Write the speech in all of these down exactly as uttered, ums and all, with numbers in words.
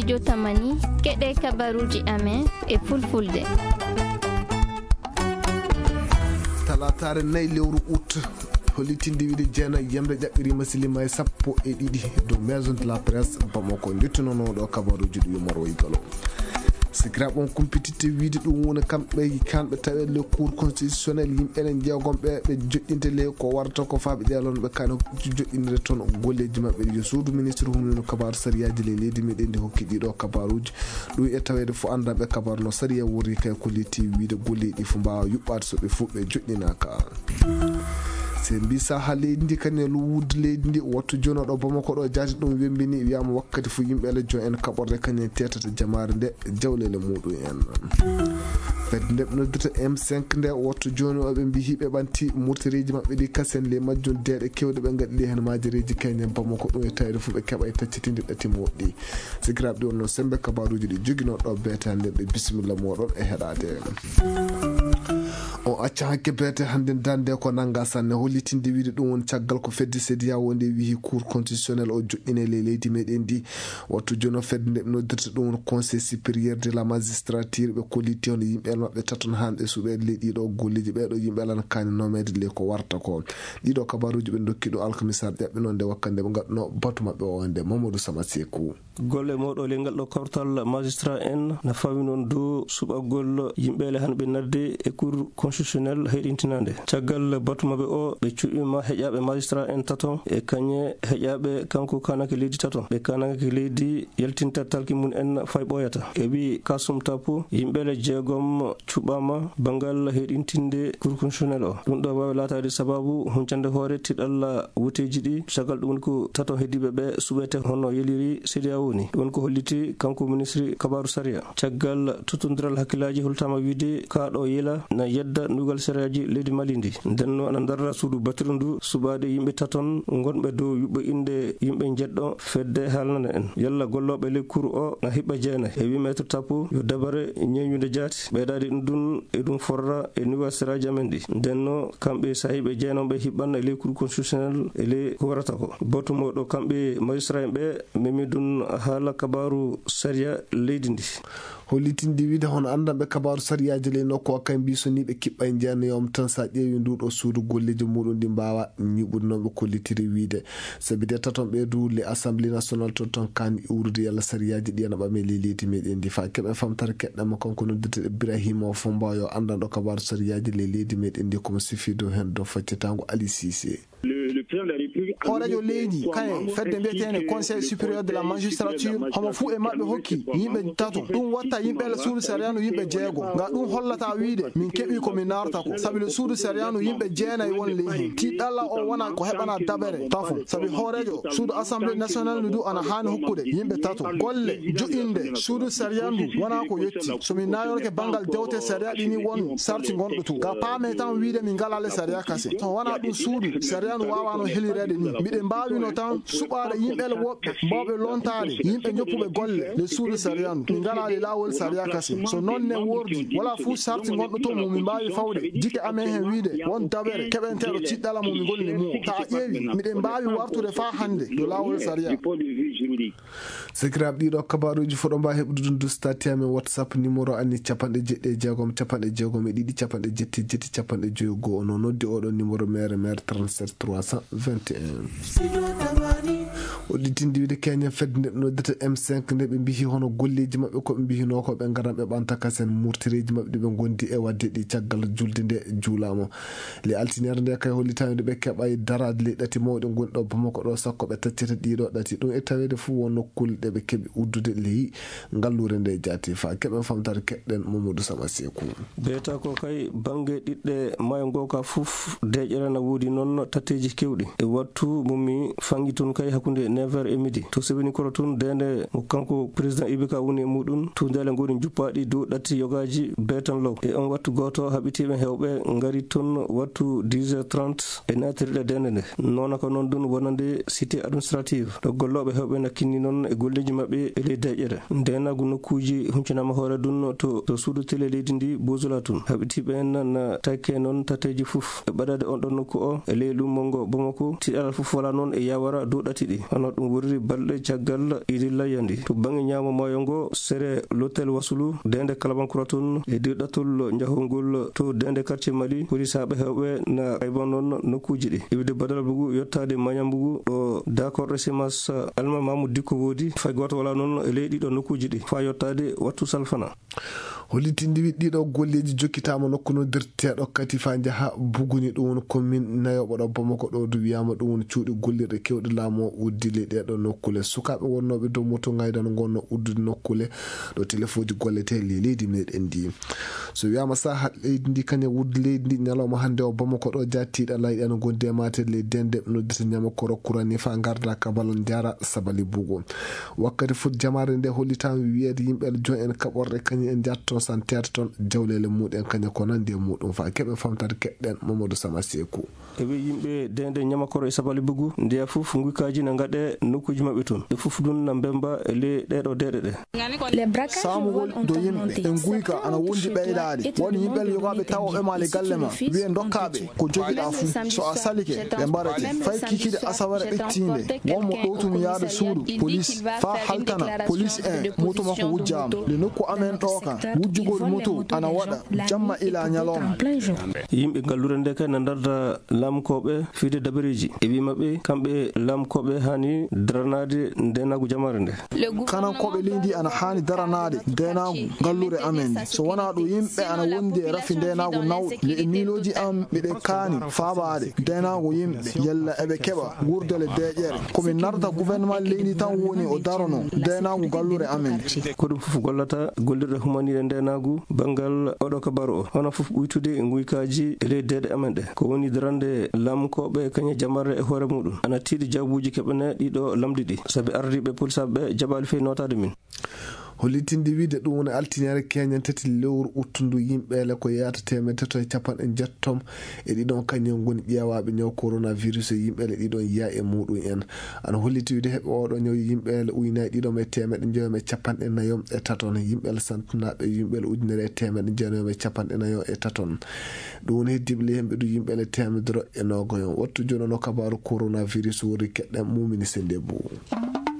Jotamani, keɗe kabaruuji amen e fulfulde. Talaataare nay lewru ut, hollitinde wiide jeenayi yamre ƴaɓɓiriima silima e sappo e ɗiɗi dow Maison de la Presse Bamako, njettunooɗo kabaruuji ɗi Umar Waygalo. Sikiraaɓe on kumpititte wiide ɗum woni kamɓe kanɓe tawee le Cour constitutionnel yimɓe enen jeegom ɓe ɓe joɗɗinte le ko warata ko faaɓe ƴeelon ɓe kano joɗɗinire toon golleeji maɓɓe ɗi. Yo suudu ministre hunnuno kabaaru sariyaaji le leydi meɗen ndi hokki ɗiɗo kabaruuji. Ɗum e taweede fof anndanɓe kabaaru no sariya worri kay ko leyti wiide golleeji ɗi fof mbaawa yuɓɓaade so ɓe fof ɓe joɗɗinaaka. Se mbi saha leydi ndi kañum e luwude leydi ndi wattu jono ɗo Bamako ɗo jaati ɗum wembini wiyama wakkati fof yimɓe ele jo en kaɓorde kañum tetata jamaare nde jawlele muɗum en. Fedde nde ɓe noddirta M cinq nde wattu joni o ɓe mbi hiɓe ɓanti murtereji maɓɓe ɗi kasen le majjum deeɗe kewɗe ɓe gaɗi ɗi hen majereji kañum Bamako ɗum e tawde fof ɓe keɓa e taccitinde ɗati moɗɗi. Sikiraaɓe ɗi wonno sembe kabaruji ɗi jogino ɗo beete hande ɓe bisimilla moɗon e heɗade. On acca hakke beete hannde dande ko nannga sanne hollitinde wiide ɗum woni caggal ko fedde sediya wonde wihi cour constitutionnel o joɗɗine ley leydi meɗen ndi. Wattu jono fedde nde ɓe noddirta ɗum woni conseil supérieur de la magistrature ɓe kolliti hono yimɓe maɓɓe taton hanɓe suɓeede ley ɗiɗo golleji ɓeɗo yimɓe lan kani nomede ley ko warta ko. Ɗiɗo kabaruji ɓe dokki ɗo alkamisar ƴaɓɓe noon nde wakkande ɓe gaɗno batu maɓɓe o nde mamadou samaseku. Golle mawɗo ley ngal ɗo kawtal magistrat en na fawi noon dow suɓagol yimɓeele han ɓe nadde e cour constitutionnel heyɗintinande. Caggal batu maɓɓe o ɓe cuɓima heƴaɓe magistrat en tato e kañe heƴaɓe kanko kanake leydi tato ɓe kanake leydi yaltinta talki mum en fay ɓoyata e wi kasum tapo yimɓeele jeegom cuɓama bangal heyɗintinde cour constitutionnel o. Ɗum ɗo wawi latade sababu huncande hoore tiɗalla woteji ɗi sagal ɗum woni ko tato heddiɓe ɓe suɓete hono yeliri sediya woni ɗum woni ko holliti kanko ministre kabaru sariya. Caggal totodiral hakkillaji holtama wiide kaɗo yela na yedda ndugal sariyaji leydi mali ndi ndenno ana darra suudu battiru ndu suɓade yimɓe taton gonɓe dow yuɓɓo inde yimɓe jeɗɗo fedde haalnana en yalla golloɓe ley cour o na hiɓɓa jeenayi e wi maître tapo yo dabare ñeñude jaati ɓeydade ɗum ɗum e ɗum forra e nuwa seraji amen ɗi ndenno kamɓe sahiɓe jeenaɓe hiɓɓanna e ley cour constitutionnel e ley ko warata ko batu mawɗo kamɓe magistrat en ɓe memi ɗum haala kabaru sariya leydi ndi. Hollitinde wiide hono anndanɓe kabaaru sariyaaji ley nokku o kay mbi so ni ɓe kiɓɓay jeenayoom tan so a ƴeewi nduɗo suudu golleeji muɗum ɗi mbaawa ñuɓude noon ɓe kollitiri wiide. Sabi de taton ɓe du le assemblée nationale to ton kaani iwrude yalla sariyaaji ɗi ana ɓame ley leydi meɗen ndi fa keɓe famtare keɗɗama kanko noddirte ibrahima o fomba yo anndanɗo kabaaru sariyaaji ley leydi meɗen ndi komo sifi dow hen dow faccitango ali sise. Hooreejo leydi kayen fedde mbiyeteende conseil supérieur de la magistrature homo fuu e maɓɓe hokki yimɓe tato ɗum watta yimɓe suudu sariyaanu yimɓe jeego nga ɗum hollata wiide min keɓi ko min naarata ko sabi le suudu sariyaanu yimɓe jeenayi won ley heen tiɗɗalla o wona ko heɓana dabere tafo sabi hooreejo suudu assemblée nationale ndu du ana haani hokkude yimɓe tato golle joƴƴinde suudu sariyaanu ndu wona ko yetti so min nayorke banngal dewte sariya ɗini won sarti gonɗo to ga paame tan wiide min ngala le sariya kase so wona ɗum suudu sariya no wawano helireede ni mbiɗen mbawino tan suɓaade yimɓe le woɓɓe mbawɓe lontaade yimɓe joppuɓe golle le suudu sariya no min ngala le lawol sariya kase so noon ne wordi wala fuu sarti gonɗo to mum min mbawi fawde jike amen hen wiide won dabere keɓenteɗo ciɗɗala mum min golli mum ta a ƴeewi miɗen mbawi wartude fa hannde ɗo lawol sariya. Sakiraaɓe ɗiɗo kabaruuji foɗo mba heɓude ɗum dustati amen whatsapp numéro anni capanɗe jeɗɗi e jeegom capanɗe jeegom e ɗiɗi capanɗe jetti jetti capanɗe joyi goo ono noddi oɗo numéro mere mere trente-sept trois cent vingt et un. Oɗɗitinde wiide keñen fedde nde ɓe noddata m cinq nde ɓe mbihi hono golleeji maɓɓe ko ɓe mbihino ko ɓe ngaran ɓe ɓanta kasen murtireeji maɓɓe ɗi ɓe gondi e wadde ɗi caggal julde nde juulama. Le altiniere nde kay hollitani ɗo ɓe keɓa e daraade le ɗati mawɗe gonɗo bamako ɗo sakko ɓe taccata ɗiɗo ɗati ɗum e taweede fof won nokkule ɗe ɓe keɓi uddude ley ngallure nde jaati fa keɓen famtare keɗɗen mamadou sama seku. Beeta ko kay bange ɗiɗɗe maayo ngo ka fof deƴere na woodi noon tatteeji kewɗi e wattu mummi fangi tun kay hakkunde neuf heures e midi to sebini koro tun dende mo kanko président ibika woni e muɗum tuundele ngoni juppaɗi dow ɗatti yogaji beetan law e on wattu goto haɓitiɓe hewɓe ngari tun wattu dix heures trente e natirɗe dende nde nona ko noon ɗum wonande cité administrative ɗo golloɓe hewɓe nakkinni noon e golleji maɓɓe e ley deƴƴere ndenagu nokkuji huncunama hoore ɗum to to suudu télé leydi ndi bosula tun haɓitiɓe en na takke noon tateji fof e ɓaɗade on ɗon nokku o e ley lummo ngo bomako tiɗal fof wala noon e yawara dow ɗati ɗi hono Ɗum wurri balɗe caggal idi layya ndi. To baŋnge ñaamo maayo ngo, sere Lotel Wasulu, deende Kalabankura toon, e dirɗatol njahongol to deende quartier Mali, polisaaɓe heewɓe na ayba noon nokkuuji ɗi. Iwde Badara Bugu yottaade Mañambugu ɗo daakorɗe Simas Alma Mamu Dikko woodi, fay gooto walaa noon e ley ɗiɗo nokkuuji ɗi, faa yottaade wattu salfana. Hollitinde wi ɗiɗo golleeji jokkitaama nokku noddirteeɗo Katifa njaha Buguni, ɗum woni commune nayooɓo ɗo Bamako ɗo, du wiyaama ɗum woni cuuɗi gollirɗe keewɗe laamu o uddili ɗeeɗo nokkule. Sukaaɓe wonnooɓe dow moto ngaydano ngon no uddude nokkule ɗo telefooji golletee ley leydi meɗen ndi. So wiyaama saha leydi ndi kañum wuddi leydi ndi ñalawma hannde o Bamako ɗo, jattiiɗa layɗe no gondi e maate ley dende noddita ñama koro kurani fa ngarda kabal njara sabali bugo. Wakkati fof jamaare nde hollitaama wiyeede yimɓe joom en kaɓorɗe kañum en njatto santeede toon jawleele muɗen kañum ko nandi e muɗum fa keɓe famtade keɗɗen Mamadou Sama Seku. E wi yimɓe dende ñamakoro e sabali bugu ndeya fof nguykaaji na ngaɗe nokkuuji maɓɓe toon. Ɓe fof ɗum na mbemba e ley ɗeɗo deɗe ɗe. Saamugol do yimɓe e nguyka ana wondi ɓeydaade. Won yimɓe yogaaɓe tawoɓe ma le galle ma, wiye dokkaaɓe ko jogiɗa fuu. So a salike ɓe mbarete. Fay kikide asawere ɓettinde wonmo ɗowtumi yaade suudu police fa haltana police en moto makko wujjaama. Le nokku amen ɗo ka wujjugol moto ana waɗa jamma ila ñalawma. Yimɓe ngallure nde kay na ndarda lamkooɓe fide dabareeji. E wi maɓɓe kamɓe lamkooɓe hani daranaade ndenagu jamare nde. Kanankooɓe leydi ana haani daranaade ndeenaagu ngallure amen nde. So wonaa ɗum yimɓe ana wondi e rafi ndeenaagu nawɗo. Le e miilooji am miɗen kaani faabaade ndeenaagu yimɓe yalla eɓe keɓa wuurdele deeƴere. Ko min narda gouvernement leydi tan woni o darono ndeenaagu ngallure amen nde. Ko ɗum fof gollata gollirɗe humaniiɗe ndeenaagu banngal oɗo kabaru o. Hono fof ɓuytude nguykaaji e ley deeɗe amen ɗe. Ko woni darande lamkooɓe kañe jamarre e hoore muɗum. Ana tiiɗi jawbuuji keɓene ɗiɗo lamɗi ɗi. Sabi ardiiɓe polisaaɓe ɓe jaɓaali fey nootaade min. Hollitinde wiide ɗum woni altiniere keñen tati lewru uttundu yimɓeele ko yeyata teemeɗe tato e capanɗe njettom e ɗiɗon kañum ngoni ƴeewaaɓe ñaw coronavirus e yimɓeele ɗiɗon yiya e muɗum en. Ana holliti wiide heɓe oɗo ñaw yimɓeele uynaaji ɗiɗon e teemeɗe njoyom e capanɗe nayom e taton. Yimɓeele santinaaɓe yimɓeele ujunere e teemeɗe jeenayom e capanɗe nayom e taton. Ɗum woni heddiiɓe ley hemɓe ɗum yimɓeele teemedere e nogoyom. Wattu jono no kabaaru coronavirus wori keɗɗen mumini sende buu.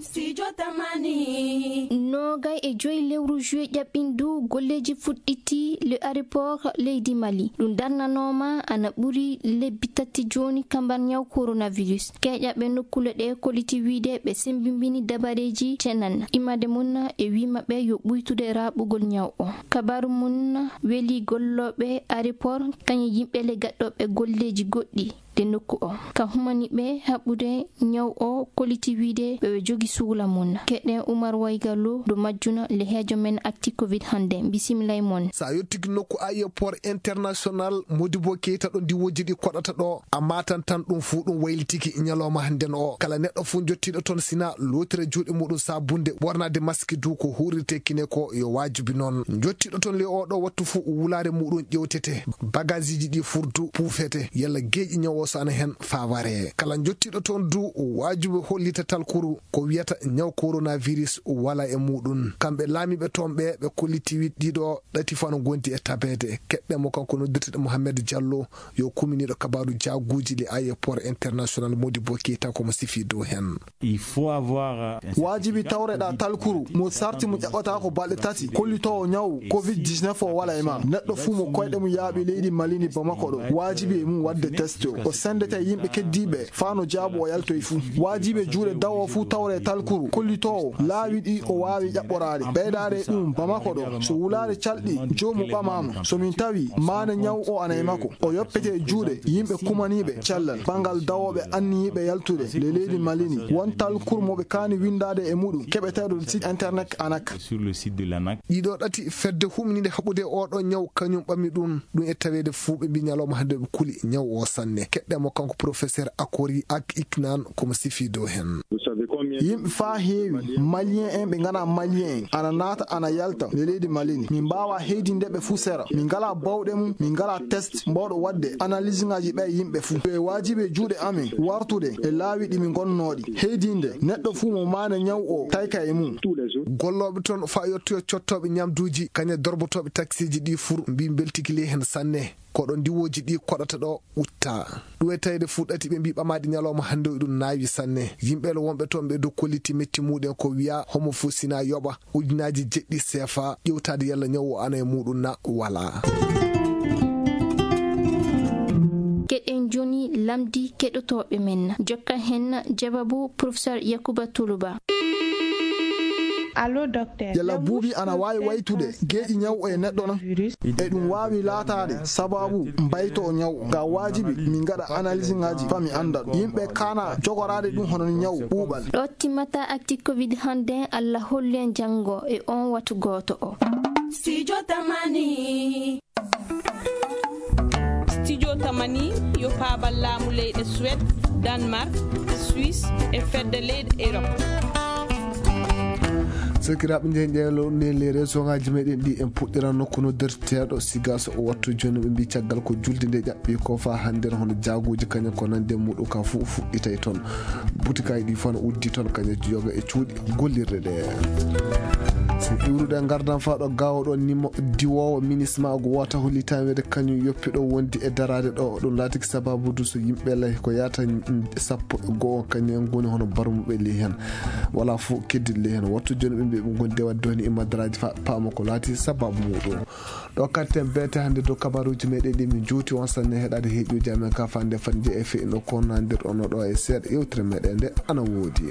Studio Tamani. Noogay e joyi lewru juillet ƴaɓɓindu golleeji fuɗɗiti le aéroport leydi Mali. Ɗum darnanooma ana ɓuri lebbi tati jooni kambar ñaw coronavirus. Keeƴaɓe nokkule ɗe koliti wiide ɓe sembimbini dabareeji cenan. Imade mun e wi maɓɓe yo ɓuytude raɓugol ñaw o. Kabaru mun weli gollooɓe aéroport kañum yimɓe le gaɗɗooɓe golleeji goɗɗi. De nokku o ka humani ɓe haɓɓude ñaw o koliti wiide ɓe ɓe jogi suula mun. Keɗen Umar Waygallo do majjuna le heejo men acti covid hande. Bisimilay mon. Sa yottiki nokku aéroport international Modibo Keita ɗo ndiwooji ɗi koɗata ɗo a matan tan ɗum fuu ɗum waylitiki ñalawma hande no o kala neɗɗo fuu jottiɗo toon sina lotira juuɗe muɗum sabunde ɓornade maski du ko hurirte kine ko yo wajibi noon jottiɗo toon le oɗo wattu fuu wulare muɗum ƴewtete. Bagagiji ɗi furdu puufete yalla geeƴi ñaw o so ana heen faaware. Kala jottiiɗo toon du waajibi hollita talkuru ko wiyata ñaw coronavirus wala e muuɗum. Kamɓe laamiiɓe toon ɓe ɓe kolliti wi ɗiɗo ɗati fof ana ngondi e tabeede. Keɗɗen mo kanko noddirteɗo Mohamed Diallo yo kuminiiɗo kabaaru jaaguuji le aéroport international Modibo Keita ko mo sifi dow heen. Il faut avoir, euh, un Waajibi tawreɗa talkuru mo sarti mo ƴaɓɓata ko balɗe tati kollitoowo ñaw covid dix-neuf o wala e ma. Neɗɗo fuu mo koyɗe mum yaaɓi leydi Mali ndi Bamako ɗo, waajibi e mum waɗde test o. O senndete e yimɓe keddiiɓe faa no jaabu o yaltoy fuu. Waajibi e juuɗe dawo fuu tawre talkuru kollitoowo laawi ɗi o waawi ƴaɓɓoraade. Ɓeydaade e ɗum Bamako ɗo, so wulaare calɗi, joomu ɓamaama. So min tawi maana ñaw o ana e makko, o yoppete e juuɗe yimɓe kumaniiɓe cellal. Banngal dawooɓe anniyiiɓe yaltude le leydi Mali ndi, won talkuru mo ɓe kaani winndaade e muɗum, keɓeteeɗo le site internet anak. Sur le site de l'ANAC. Ɗiɗo ɗati fedde humniinde haɓude oɗo ñaw kañum ɓami ɗum. Ɗum e taweede fuu ɓe mbi ñalawma hannde ɓe kuli ñaw o sanne. Keɗɗen mo kanko professeur Akori Ak Iknan ko mo sifi dow heen. Yimɓe faa heewi, Malien en ɓe nganaa Malien en, ana naata, ana yalta le leydi Mali ndi. Min mbaawaa heydinde ɓe fuu sera. Min ngalaa bawɗe mum, min ngalaa test mbawɗo waɗde analyse ŋaaji ɓe yimɓe fuu. E waajibi e juuɗe amen wartude e laawi ɗi min ngonnooɗi. Heydinde neɗɗo fuu mo maane ñaw o tayka e mum. Gollooɓe toon faa yottoyo cottooɓe ñamduuji, kañe dorbotooɓe taksiiji ɗi fur mbi mbeltiki ley heen sanne. Ko ɗo ndiwooji ɗi koɗata ɗo utta. Ɗum e tawde fuɗɗati ɓe mbii ɓamaade ñalawma hannde o ɗum naawi sanne. Yimɓe le wonɓe toon ɓe dow kolliti metti muɗen ko wiya homo fof sina yoɓa ujunaaji jeɗɗi seefa ƴewtaade yalla ñaw o ana e muɗum na wala. Keɗen joni lamdi keɗotooɓe men. Jokka hen jawabu Professeur Yakuba Tuluba. Allo, docteur. Yalla buubi ana waawi waytude geeƴi ñaw e neɗɗo na? E ɗum waawi laataade sababu mbayto o ñaw. Ka waajibi min ngaɗa analyse ngaji fa mi annda ɗum. Yimɓe kana jogoraade ɗum hono ñaw ɓuuɓal. Ɗo timmata actu covid hannde. Allah hollu en janngo e on watu gooto o. Studio Tamani. Studio Tamani yo paabal laamu leyɗe Suède, Danemark, Suisse e fedde leyɗe Europe. Sakiraaɓe, nde ƴeewlo nde le réseau ngaji meɗen ɗi en puɗɗiran nokku noddirteeɗo siga so o wattu jooni ɓe mbi caggal ko julde nde ƴaɓɓi ko fa hannde hono jaaguji kañum ko nande muɗum ka fu fuɗɗitay toon. Butikaaji ɗi fof no uddi toon, kañum yoga e cuuɗi gollirɗe ɗe. So iwrude ngardan faa ɗo gaawo ɗo nimo diwoowo minisma go wota hollitan wede kañum yoppi ɗo wondi e daraade ɗo. Ɗum laatiki sababu du so yimɓe lay ko yaata sappo e go'o kañum en ngoni hono barmuɓe ley heen. Wala fof keddit ley heen. Wattu jooni ɓe mbiya ɓe ngoni de wadde woni e madaraaji fa paama ko laati sababu muɗum. Ɗo katten beete hannde dow kabaruuji meɗen ɗi min juuti on sanne heɗaade heeƴuuji amen ka fande fande e fe'ino ko nandir ono ɗo e seeɗa yewtere meɗen nde ana woodi.